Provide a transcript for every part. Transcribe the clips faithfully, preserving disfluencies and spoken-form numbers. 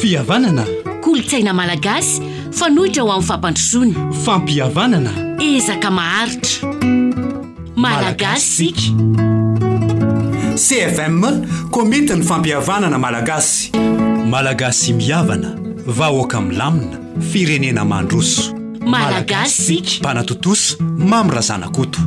Fihavanana. Kolontsaina malagasy fanoitra ho amin'ny fampandrosoana. Fampihavanana. Ezaka maharitra. Malagasy isika. C F M, Komitin'ny Fampihavanana Malagasy. Malagasy mihavana, vahoaka milamina, firenena mandroso. Malagasy isika. Mpanatontosa Mamy Razanakoto.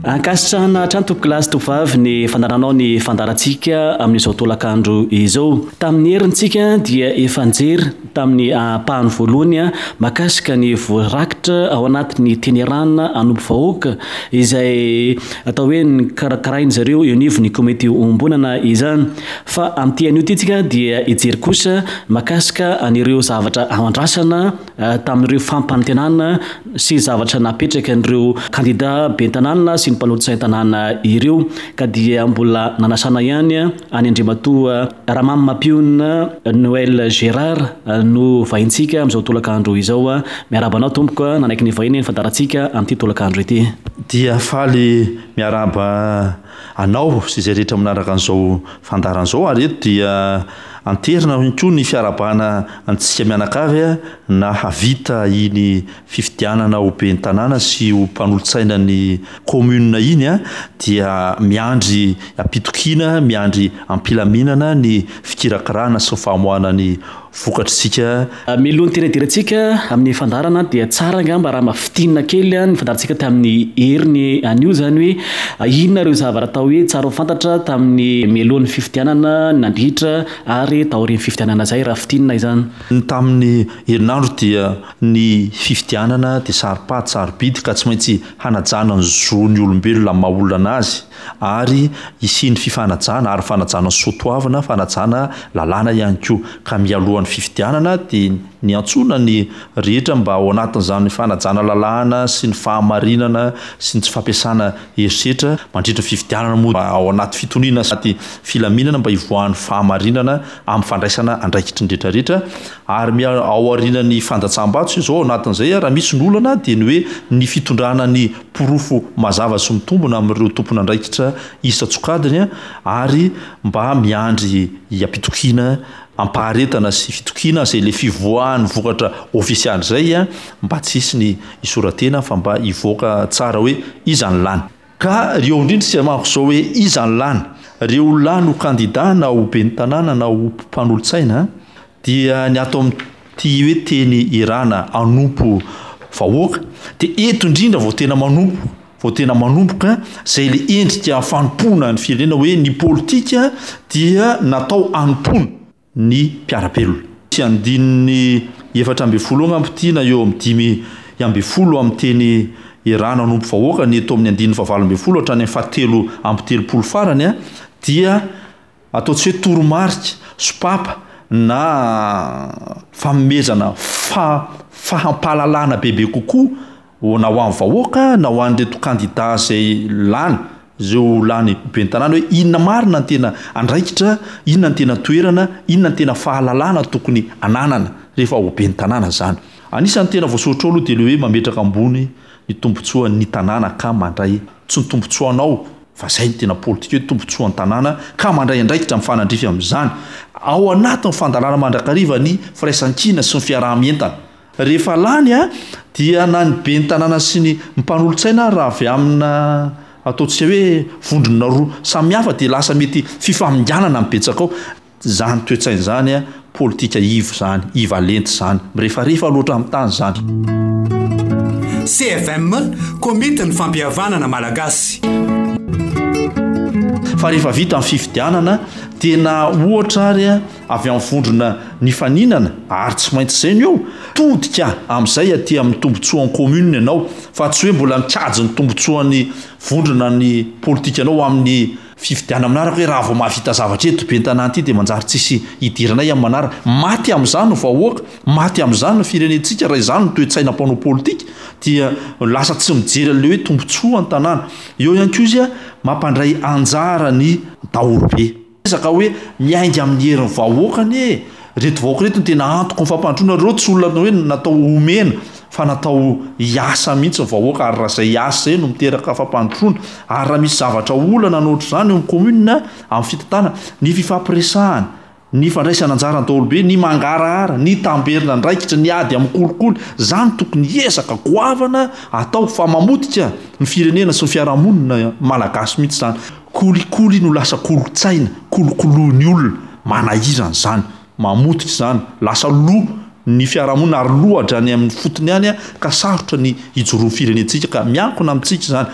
Ankasitrahana hatrany, tompokolahy sy tompovavy, ny fandaharanao ny fandaharantsika amin'izao tolakandro izao. Tamin'ny herintsika dia efa nijery tamin'ny ampahany voalohany a mahakasika ny voarakitra ao anatin'ny teny iarahana hanompo vahoaka, izay atao hoe ny karakarainy zareo eo anivon'ny komity iombonana izany. Fa amin'ity anio ity tsika dia hijery kosa mahakasika an'ireo zavatra andrasana tamin'ireo fampanantenana sy zavatra napetraka an'ireo kandida ben'ny tanàna sy ny mpanolotsain-tanàna ireo, ka dia mbola nanasana ihany any Andriamatoa Ramamy Noël Gérard no vahintsika amin'izao tolakandro izao. A miarahaba anao, tompoko, nanaiky ny vahiny ny fandaharantsika amin'ity tolakandro ity. Dia faly miarahaba anao sy izay rehetra manaraka an'izao fandaharan'izao, ary eto dia anterina ihany koa ny fiarahabana antsika mianakavy a nahavita iny fifidianana ho ben'ny tanàna sy ho mpanolotsaina ny commune iny a dia miandry ampitokiana, miandry ampilaminana ny fikirakirana sy ny famoahana ny vokatritsika. Mialohan'ny tena idirantsika amin'ny fandaharana dia tsara angamba raha mafitinina kely ny fandaharantsika tamin'ny heriny anio zany, hoe inona ireo zavatra atao hoe tsara ho fantatra tamin'ny mialohan'ny fifidianana, nandritra ary taorian'ny fifidianana zay, raha fitinina izany. Ny tamin'ny herinandro dia ny fifidianana dia saro-pady, sarobidy, ka tsy maintsy hanajana ny zon'ny olombelona amin'ny maha olona anazy, ary hisian'ny fifanajana ary fanajana soatoavina, fanajana lalàna ihany koa. Ka mialohan'ny fifidianana dia niantsoana ny rehetra mba ao anatin'izany fanajana lalàna sy ny fahamarinana sy ny tsy fampiasana herisetra mandritra ny fifidianana moa, ao anaty fitoniana sy anaty filaminana, mba hivoahan'ny fahamarinana amin'ny fandraisana andraikitry ny rehetrarehetra. Ary mia ao aorian'ny fandatsaham-bato izao, ao anatin'izay, raha misy ny olana, dia ny hoe ny fitondrana ny porofo mazava sy mitombona amin'ireo tompon'andraikitra isan-tsokajiny, ary mba miandry ampitokiana, ampaharetana sy fitokiana zay le fivoahan'ny vokatra ofisialy zay a mba tsy hisy ny isoratena fa mba hivoaka tsara hoe iza ny lany. Ka reo indrindra sy manko zao hoe iza ny lany, reo lany ho kandida na ho ben'ny tanàna na ho mpanolotsaina, dia ny atao amin'ity hoe teny iarahana hanompo vahoaka, de eto indrindra vao tena manompo, vao tena manomboka zay le endrika fanompoana ny firenena, hoe ny politika dia natao hanompoana ny mpiara-belona. Sy andininy efatra amby folo angamba ity na eo amin'ny dimy amby folo amin'ny teny iarahana hanompo vahoaka, ny eto amin'ny andininy fahavalo amby folo hatrany amin'ny fahatelo amby telopolo farany a dia atao tsy hoe toromarika sopapa na fanomezana fa fahampahalalana bebe kokoa na ho an'ny vahoaka na ho an'ireto kandida zay lany zeo lany ben'ny tanàna, hoe inona marina ny tena andraikitra, inona ny tena toerana, inona ny tena fahalalana tokony ananana rehefa ho ben'ny tanàna zany. Anisan'ny tena voasoratra ao aloha dia le hoe mametraka ambony ny tombontsoan'ny tanàna ka mandray, tsy ny tombontsoanao fa zay ny tena politika, hoe tombontsoan'ny tanàna ka mandray andraikitra mifanandrify amin'izany, ao anatin'ny fandalana mandrakariva ny firaisankina sy ny fiaraha-mientana. Rehefa lany a dia na ny ben'ny tanàna sy ny mpanolotsaina raha avy amina ataontsika hoe vondrona roa samihafa, dia lasa mety fifaminganana mibetsaka ao zany toetsaina zany a politika ivo zany, ivalenty zany, mirefarefa loatra amin'ny tany zany. C F M, Komitin'ny Fampihavanana Malagasy. Fa rehefa vita ny fifidianana, tena ohatra ary a avy amin'ny vondrona nifaninana, ary tsy maintsy zay ny eo, todika amin'izay aty amin'ny tombontsoan'ny commune ianao, fa tsy hoe mbola mikajy ny tombontsoan'ny vondrona ny politika anao amin'ny fifidianana manaraka, hoe raha vao mahavita zavatra eto ben'ny tanàna ity dia manjary tsisy hidiranay amin'ny manaraka. Maty amin'izany ny vahoaka, maty amin'izany ny firenentsika raha izany ny toe-tsaina mpanao politika, dia lasa tsy mijery an'le hoe tombontsoa ny tanàna. Eo ihany koa izy a mampandray anjara ny daholobe, ezaka hoe miainga amin'ny herin'ny vahoaka anie reto vahoaka reto no tena antoko ny fampandroana reo, tsy olona hoe natao omena fa natao hiasa mihitsy ny vahoaka, ary raha izay asa izay no miteraka fampandrosoana, ary raha misy zavatra olana na ohatr'izany eo amin'ny commune amin'ny fitantanana, ny fifampiresahana, ny fandraisana anjara ny daholobe, ny mangarahara, ny tamberina andraikitra, ny ady amin'ny kolikoly, izany tokony ezaka goavana atao fa mamotika ny firenena sy ny fiarahamonina malagasy mihitsy izany. Kolikoly no lasa kolontsaina, kolokoloin'ny olona, manahirana izany, mamotika izany, lasa lo ny fiarahamonina ary lo hatrany amin'ny fotony any ka sarotra ny hijoroan'ny firenentsika ka miankina amintsika izany.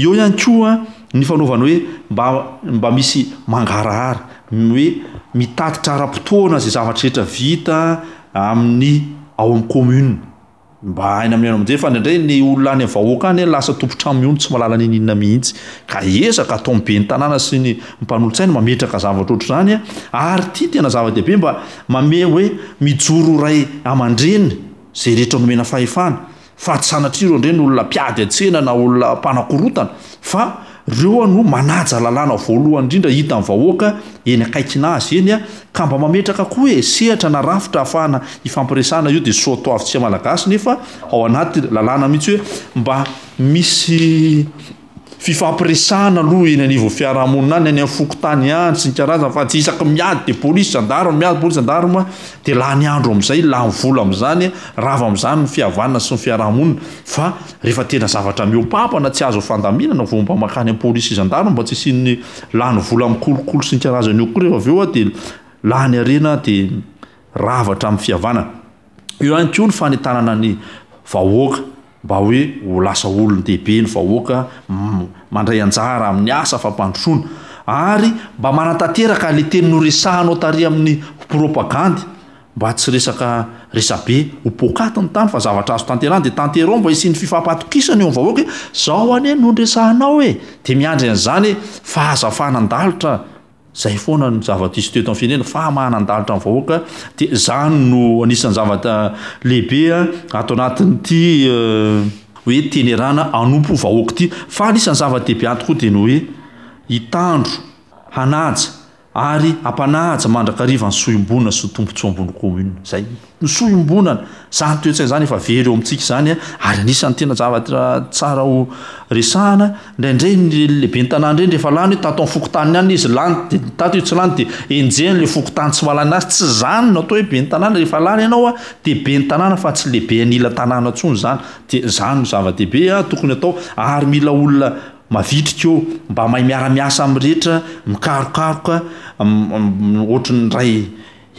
Eo ihany koa ny fanaovana hoe mba mba misy mangarahara, ny hoe mitatitra ara-potoana izay zavatra rehetra vita amin'ny ao amin'ny commune. Mba haina amin'ny haino aman-jery fa indraindray ny olona any amin'ny vahoaka any lasa tompon-trano mihono tsy mahalala n'inon'inona mihitsy. Ka ezaka ataon'ny ben'ny tanàna sy ny mpanolotsaina mametraka zavatra ohatr'izany ary ity tena zava-dehibe mba mamehy hoe mijoro ray aman-dreny izay rehetra nomena fahefana fa tsy sanatria ireo indray ny olona mpiady an-tsena na olona mpanakorotana fa ireo no manaja lalàna voalohany indrindra hitan'ny vahoaka eny akaikina azy eny ka mba mametraka koa e sehatra na rafitra ahafahana hifampiresahana io dia soatoavintsika malagasy nefa ao anaty lalàna mihitsy hoe mba misy fifampiresahana aloha eny anivon'ny fiarahamonina any, any amin'ny fokontany any sy ny karazany fa tsy isaky miady dia polisy gendarme miady polisy gendarme dia lany andro amin'izay, lany vola amin'izany, rava amin'izany ny fihavanana sy ny fiarahamonina fa rehefa tena zavatra mihoa-pampana tsy azo fandaminana vao mba mankany amin'ny polisy gendarme mba tsy hisian'ny lany vola amin'ny kolikoly sy ny karazany eo koa rehefa avy eo dia lany harena dia rava hatramin'ny fihavanana. Eo ihany koa ny fanentanana ny vahoaka mba hoe ho lasa olon-dehibe ny vahoaka mandray anjara amin'ny asa fampandrosoana ary mba manatanteraka ilay teny noresahanao tary amin'ny propagandy mba tsy resaka resabe ho poakaty ny tany fa zavatra azo tanterahana dia tanterao mba hisian'ny fifampatokisana eo amin'ny vahoaka hoe zao anie no noresahanao e, dia miandry an'izany fa aza fanan-dalitra. Zay foana ny zava-diso teto amin'ny firenena, famahanan-dalitra ny vahoaka dia izany no anisan'ny zavatra lehibe ato anatin'ity hoe tenerana hanompo vahoaka ity. Fa anisan'ny zava-dehibe ato koa dia ny hoe hitandro, hanaja ary hampanaja mandrakariva ny soa iombonana sy ny tombontsoa ambony commune. Zay ny soa iombonana, izany toe-tsaina izany efa very eo amintsika izany ary anisan'ny tena zavatra tsara ho resahana. Indraindray ny lehiben'ny tanàna ireny rehefa lany hoe tato amin'ny fokontany ihany izy lany dia tato izy tsy lany dia enjehiny ilay fokontany tsy mahalany azy. Tsy izany no atao hoe ben'ny tanàna, rehefa lany ianao dia ben'ny tanàna fa tsy lehibe an'ila tanàna intsony izany. Dia izany no zava-dehibe tokony atao ary mila olona mavitrika eo mba mahay miara-miasa amin'ny rehetra, mikarokaroka ohatry ny ray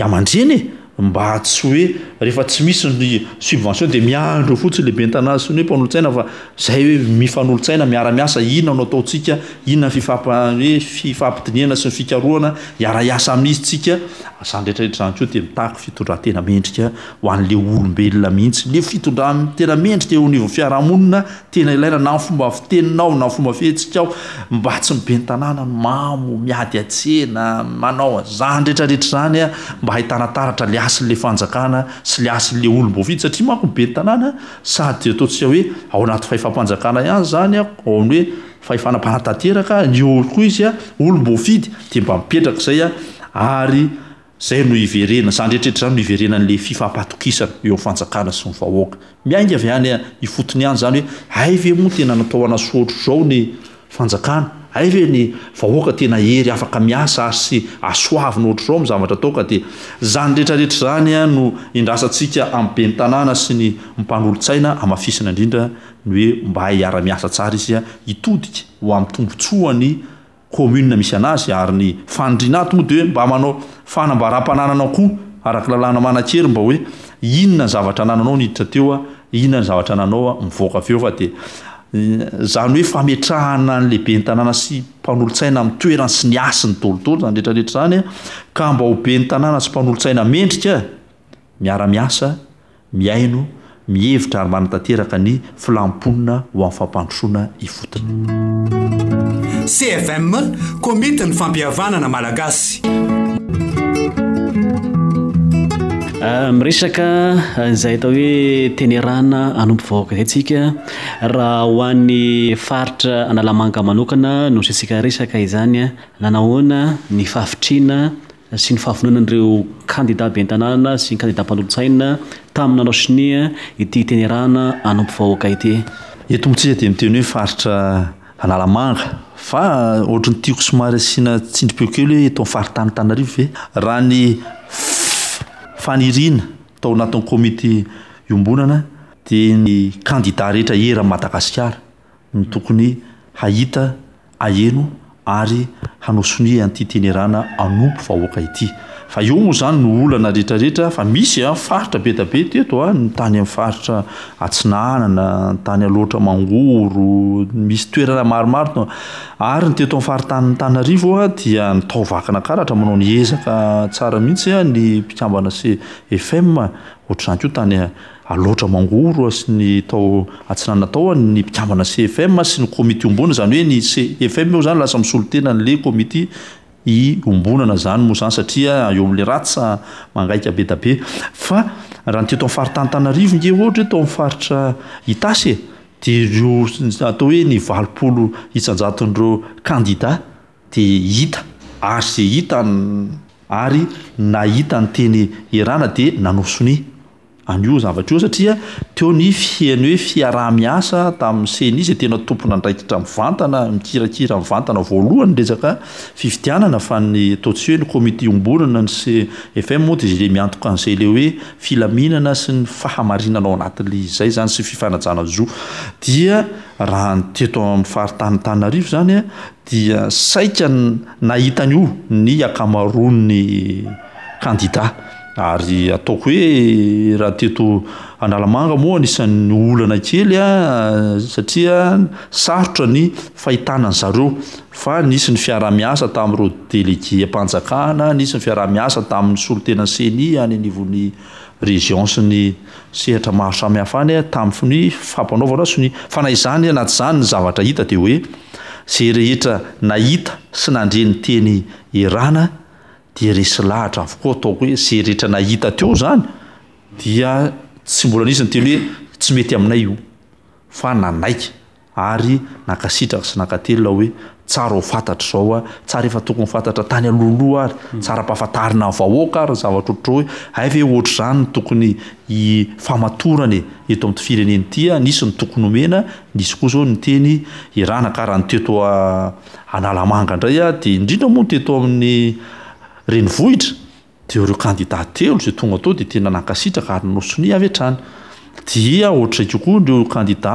aman-dreny e, mba tsy hoe rehefa tsy misy ny subvention dia miandry eo fotsiny lehiben'ny tanàna sy ny hoe mpanolotsaina fa zay hoe mifanolotsaina miara-miasa, inona no ataontsika, inona ny fifampa-, hoe fifampidinihana sy ny fikarohana hiara-hiasa amin'izy tsika. Izany rehetra rehetra izany koa dia mitaky fitondran-tena mendrika ho an'ilay olombelona mihitsy. Ilay fitondran-tena mendrika eo anivon'ny fiarahamonina tena ilaina na ny fomba fiteninao na ny fomba fihetsikao, mba tsy ny ben'ny tanàna no mamo, miady an-tsena, manao an'izany rehetra rehetra izany mba hahitana taratra ilay hasin'ilay fanjakana sy ilay hasin'ilay olom-boafidy, satria manko ny ben'ny tanàna sady ataontsika hoe ao anaty fahefam-panjakana ihany izany, ao amin'ny hoe fahefana mpanatanteraka, ny eo koa izy olom-boafidy dia mba mipetraka izay ary izay no hiverena, izany rehetra rehetra izany no hiverenan'ilay fifampatokisana eo amin'ny fanjakana sy ny vahoaka. Miainga avy any ifotony ihany izany hoe hay ve moa tena natao hanasoa ohatr'izao ny fanjakana, hay ve ny vahoaka tena hery afaka miasa ary sy asoavina ohatr'izao amin'ny zavatra atao, ka dia izany rehetra rehetra izany no indrasantsika amin'ny ben'ny tanàna sy ny mpanolotsaina, hamafisina indrindra ny hoe mba hiara-miasa tsara izy hitodika ho amin'ny tombontsoan'ny commune misy anazy, ary ny fanindriana ato moa dia hoe mba manao fanambaram-pananana koa araka lalàna manan-kery mba hoe inona ny zavatra anananao niditra teo, inona ny zavatra ananao mivoaka avy eo, fa dia izany hoe fametrahana ny lehiben'ny tanàna sy mpanolotsaina amin'ny toerany sy ny hasiny daholo izany rehetra rehetra izany, ka mba ho ben'ny tanàna sy mpanolotsaina mendrika miara-miasa, mihaino, mihevitra ary manatanteraka ny filam-ponina ho amin'ny fampandrosoana ifotony. C F M, Komitin'ny Fampihavanana Malagasy. Miresaka izay atao hoe tenerana hanompo vahoaka izay tsika. Raha ho an'ny faritra Analamanga manokana no asiantsika resaka izany, nanahoana ny fahavitriana sy ny fahavononan'ireo kandida ben'ny tanàna sy ny kandida mpanolotsaina tamin'ny nanao sonia ity teny iarahana hanompo vahoaka ity. Eto moa tsika dia miteny hoe faritra Analamanga fa ohatry ny tiako somary asiana tsindrim-peo kely hoe eto amin'ny faritany Antananarivo ve raha ny faniriana tao anatin'ny komity iombonana dia ny kandida rehetra eran'i Madagasikara no tokony hahita, haheno ary hanao sonia an'ity tenerana hanompo vahoaka ity. Fa eo moa izany no olana rehetra rehetra fa misy a faritra be da be teto a, ny tany amin'ny faritra Atsinanana, ny tany Alaotra Mangoro, misy toerana maromaro ary ny teto amin'ny faritanin'Antananarivo a dia ny tao Vakinakaratra manao ny ezaka tsara mihitsy a ny mpikambana C F M, ohatr'izany koa tany Alaotra Mangoro sy ny tao Atsinanana tao ny mpikambana C F M sy ny komity iombonana, izany hoe ny C F M io izany lasa misolo tena an'ilay komity iombonana izany moa izany satria eo amin'ilay ratsa mangaika be da be. Fa raha ny teto amin'ny faritany Antananarivo nge ohatra hoe tao amin'ny faritra Itasy e, dia ireo atao hoe ny valopolo isan-jaton'ireo kandida dia hita ary izay hita ary nahita ny teny Erana dia nanao sonia an'io zavatra io satria teo ny fiheno hoe fiaraha-miasa tamin'ny CENI izay tena tompon'andraikitra mivantana, mikirakira mivantana voalohany ny resaka fifidianana fa ny atao tsy hoe ny komity iombonana ny C F M moa dia izay miantoka an'izay ilay hoe filaminana sy ny fahamarinana ao anatin'ilay izy izay izany sy fifanajana zo. Dia raha ny teto amin'ny faritany Antananarivo izany dia saika nahita an'io ny ankamaroan'ny kandida. Ary ataoko hoe raha teto Analamanga moa anisan'ny olana kely a, satria sarotra ny fahitana an-dry zareo fa nisy ny fiaraha-miasa tamin'ireo délégué-mpanjakana, nisy ny fiaraha-miasa tamin'ny solontena CENI any anivon'ny région sy ny sehatra maro samihafa any tamin'ny fampanaovana sonia. Fa na izany na tsy izany ny zavatra hita dia hoe izay rehetra nahita sy nandre ny teny Erana dia resy lahatra avokoa. Ataoko hoe izay rehetra nahita teo izany dia tsy mbola nisy niteny hoe tsy mety aminay io fa nanaiky ary nankasitraka sy nankatelina hoe tsara ho fantatra izao a, tsara efa tokony ho fantatra tany alohaloha ary, tsara ampahafantarina ny vahoaka ary ny zavatra ohatr'izao hoe hay ve ohatr'izany no tokony hifamatorana e eto amin'ity firenena ity a, nisy ny tokony homena, nisy koa izao ny teny Erana ka raha ny teto Analamanga indray a, dia indrindra moa ny teto amin'ny renivohitra dia ireo kandida telo izay tonga tao dia tena nankasitraka ary nanao sonia avy hatrany. Dia ohatr'izay kokoa ireo kandida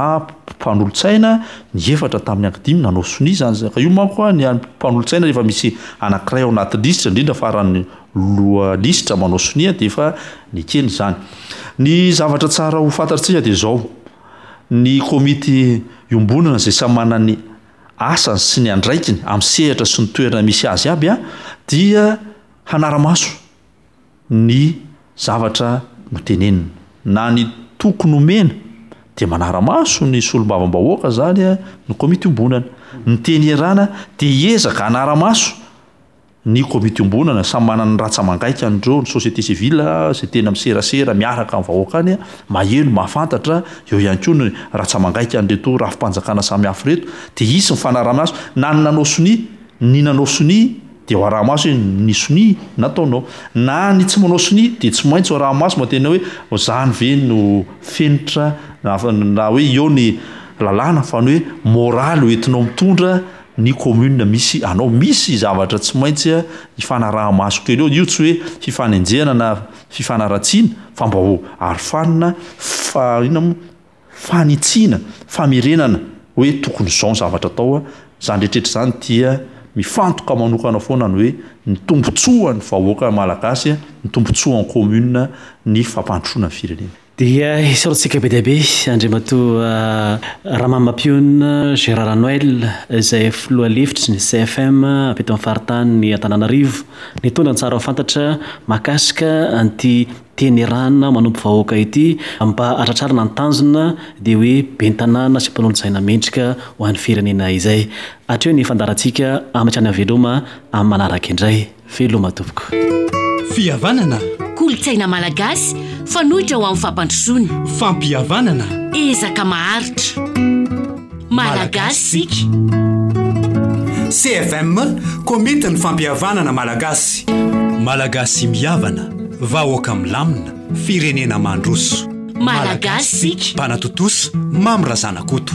mpanolotsaina, ny efatra tamin'ny ankidimy nanao sonia izany. Ka io manko a, ny an'ny mpanolotsaina rehefa misy anankiray ao anaty lisitra, indrindra fa raha ny loha lisitra manao sonia dia efa nekena izany. Ny zavatra tsara ho fantatsika dia izao, ny komity iombonana izay samy manana ny asany sy ny andraikiny amin'ny sehatra sy ny toerana misy azy aby a, dia hanara-maso ny zavatra notenenina. Na ny tokony homena dia manara-maso ny solombavambahoaka izany a, ny komity iombonana. Ny teny ierana dia hiezaka hanara-maso ny komity iombonana, samy manana ny ratsa-mangaika an'ireo, ny société civile izay tena miserasera miaraka amin'ny vahoaka any, maheno, mahafantatra, eo ihany koa ny ratsa-mangaika an'ireto rafi-panjakana samihafa ireto, dia hisy ny fanarahamaso, na ny nanao sonia, ny nanao sonia dia ho araha-maso hoe ny sonia nataonao, na ny tsy manao sonia dia tsy maintsy ho araha-maso mba tena hoe izany ve no fenitra, na hoe eo ny lalàna fa ny hoe moraly hoentinao mitondra ny commune misy anao. Misy zavatra tsy maintsy ifanaraha-maso kely eo, io tsy hoe fifanenjehana na fifanaratsiana fa mba ho arofanina, fa inona moa, fanitsiana, famerenana hoe tokony izao ny zavatra atao. Izany rehetrarehetra izany dia mifantoka manokana foana ny hoe ny tombontsoan'ny vahoaka malagasy, ny tombontsoan'ny commune, ny fampandrosoana ny firenena. Dia isaorantsika be dia be Andriamatoa Ramamapionona Gérard Noël izay filoha lefitry ny C F M avy eto amin'ny faritanin'i Antananarivo nitondra ny tsara ho fantatra mahakasika an'ity teny rana manompo vahoaka ity mba hatratrarana ny tanjona dia hoe ben'ny tanàna sy mpanolotsaina mendrika ho an'ny firenena izay. Hatreo ny fandaharantsika ametrahana veloma amin'ny manaraka indray. Veloma tompoko. Fihavanana. Kolontsaina malagasy fanoitra ho amin'ny fampandrosoana. Fampihavanana. Ezaka maharitra. Malagasy isika. C F M, Komitin'ny fampihavanana malagasy. Malagasy mihavana, vahoaka milamina, firenena mandroso. Malagasy Mpanatontosa Mamy Razanakoto.